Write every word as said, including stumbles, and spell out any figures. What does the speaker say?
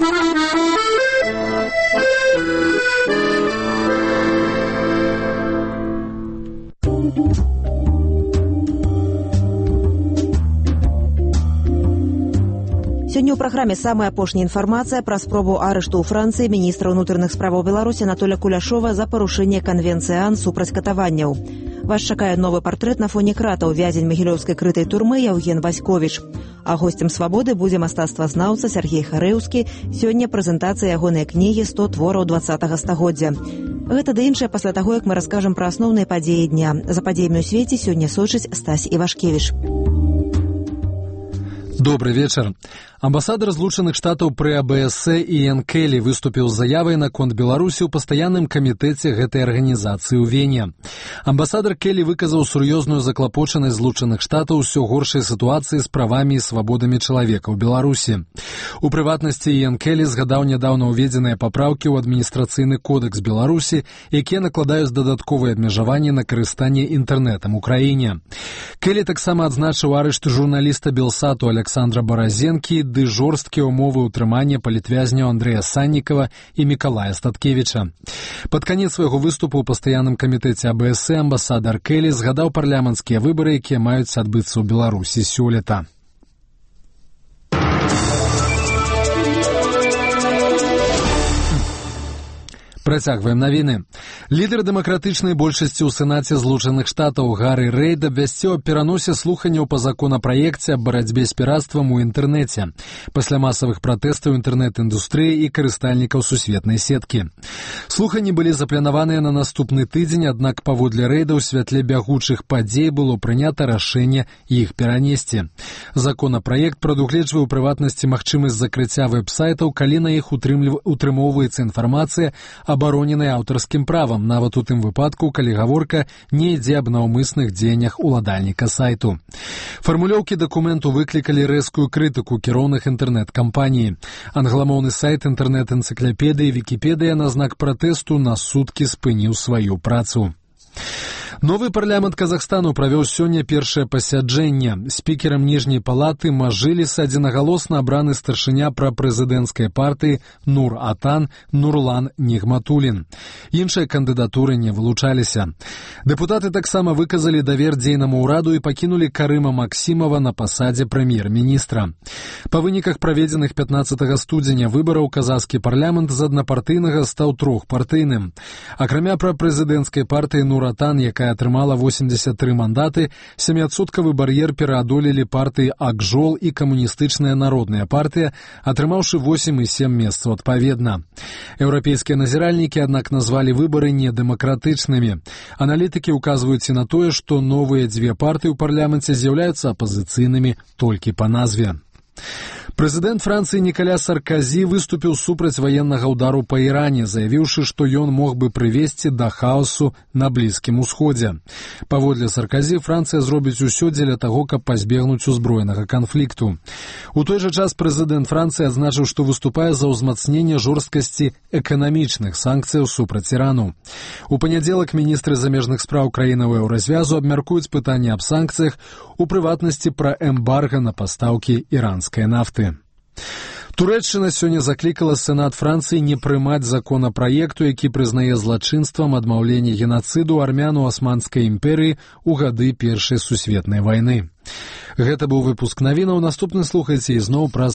Сёння ў праграме самая апошняя інфармацыя пра спробу арышту ў Францыі міністра ўнутраных справаў Беларусі Анатоля Куляшова за парушэнне канвенцыі ААН супраць катаванняў. Вас чакае новы партрэт на фоне кратаў вязень магілёўскай крытай турмы Яўген Васьковіч. А госцем «Свабоды» будзе мастацтвазнаўца Сергей Харэўскі. Сёння прэзентацыя ягонай кнігі «сто твораў дваццатага стагоддзя». Гэта ды іншае пасля таго, як мы раскажам пра асноўныя падзеі дня. За падзеямі ў свеце сёння сочыць Стась Івашкевіч. Добрый вечер. Амбасадар Злучаных Штатаў пры А Б С Іэн Келлі выступіў з заявай наконт Беларусі ў пастаянным камітэце гэтай арганізацыі ў Вене. Амбасадар Келлі выказаў сур'ёзную заклапочанасць Злучаных Штатаў усё горшай сітуацыі з правамі і свабодамі чалавека ў Беларусі. У прыватнасці Іэн Келлі згадаў нядаўна ўведзеныя папраўкі ў адміністрацыйны кодэкс Беларусі, якія накладаюць дадатковыя абмежаванні на карыстанне інтэрнэтам у краіне. Келлі таксама адзначыў арышт журналіста Белсату Александра Баразенкі ды жорсткія ўмовы ўтрымання палітвязняў Андрэя Саннікава і Мікалая Статкевіча. Пад канец свайго выступу ў пастаянным камітэце А Б С амбасадар Келлі згадаў парламенцкія выбары, якія маюць адбыцца ў Беларусі сёлета. Працягваем навіны. Лідар дэмакратычнай большасці ў Сенаце Злучаных Штатаў Гаррі Рэйд абвясціў аб пераносе слуханняў па законапраекце аб барацьбе з піратствам у інтэрнэце пасля масавых пратэстаў інтэрнэт-індустрыі і карыстальнікаў сусветнай сеткі. Слуханні былі запланаваныя на наступны тыдзень, аднак паводле Рэйда ў святле бягучых падзей было прынята рашэнне іх перанесці. Законапраект прадугледжвае ў прыватнасці магчымасць закрыцця вэб-сайтаў, калі на іх утрымоўваецца інфармацыя абароненай аўтарскім правам, нават у тым выпадку, калі гаворка не ідзе аб наўмысных дзеяннях уладальніка сайту. Фармулёўкі дакументу выклікалі рэзкую крытыку кіроўных інтэрнэт-кампаній. Англамоўны сайт інтэрнэт-энцыклапедыі Вікіпедыя на знак пратэсту на суткі спыніў сваю працу. Новы парламент Казахстану правёў сёння першае пасяджэнне. Спікерам ніжняй палаты Мажліс адзінагалосна абраны старшыня прапрэзідэнцкай партыі Нур-Атан Нурлан Нігматулін. Іншыя кандыдатуры не вылучаліся. Дэпутаты таксама выказалі давер дзейнаму ўраду і пакінулі Карыма Максімова на пасадзе прэм'ер-міністра. Па выніках праведзеных пятнаццатага студзеня выбараў казахскі парламент з аднапартыйнага стаў трохпартыйным. Акрамя прапрэзідэнцкай партыі Нур-Атан, якая атрымала восемьдесят три мандаты, сяміадсоткавы бар'ер пераадолелі партыі Акжол і камуністычная народная партыя, атрымаўшы восемь і сем месцаў адпаведна. Еўрапейскія назіральнікі, аднак, назвалі выбары недэмакратычнымі. Аналітыкі ўказваюць і на тое, што новыя дзве партыі ў парламенце з'яўляюцца апазіцыйнымі толькі па назве. Прэзідэнт Францыі Нікаля Сарказі выступіў супраць ваеннага ўдару па Іране, заявіўшы, што ён мог бы прывесці да хаосу на Блізкім Усходзе. Паводле Сарказі, Францыя зробіць усё дзеля таго, каб пазбегнуць узброенага канфлікту. У той жа час прэзідэнт Францыі адзначыў, што выступае за ўзмацненне жорсткасці эканамічных санкцыяў супраць Ірану. У панядзелак міністры замежных спраў краінаў еўразвязу абмяркуюць пытанне аб санкцыях, у прыватнасці пра эмбарга на пастаўкі іранскай нафты. Турэччына сёння заклікала Сенат Францыі не прымаць законапраекту, які прызнае злачынствам адмаўленне генацыду армян у Асманскай імперыі ў гады Першай сусветнай вайны. Гэта быў выпуск навінаў. Наступны слухайце ізноў праз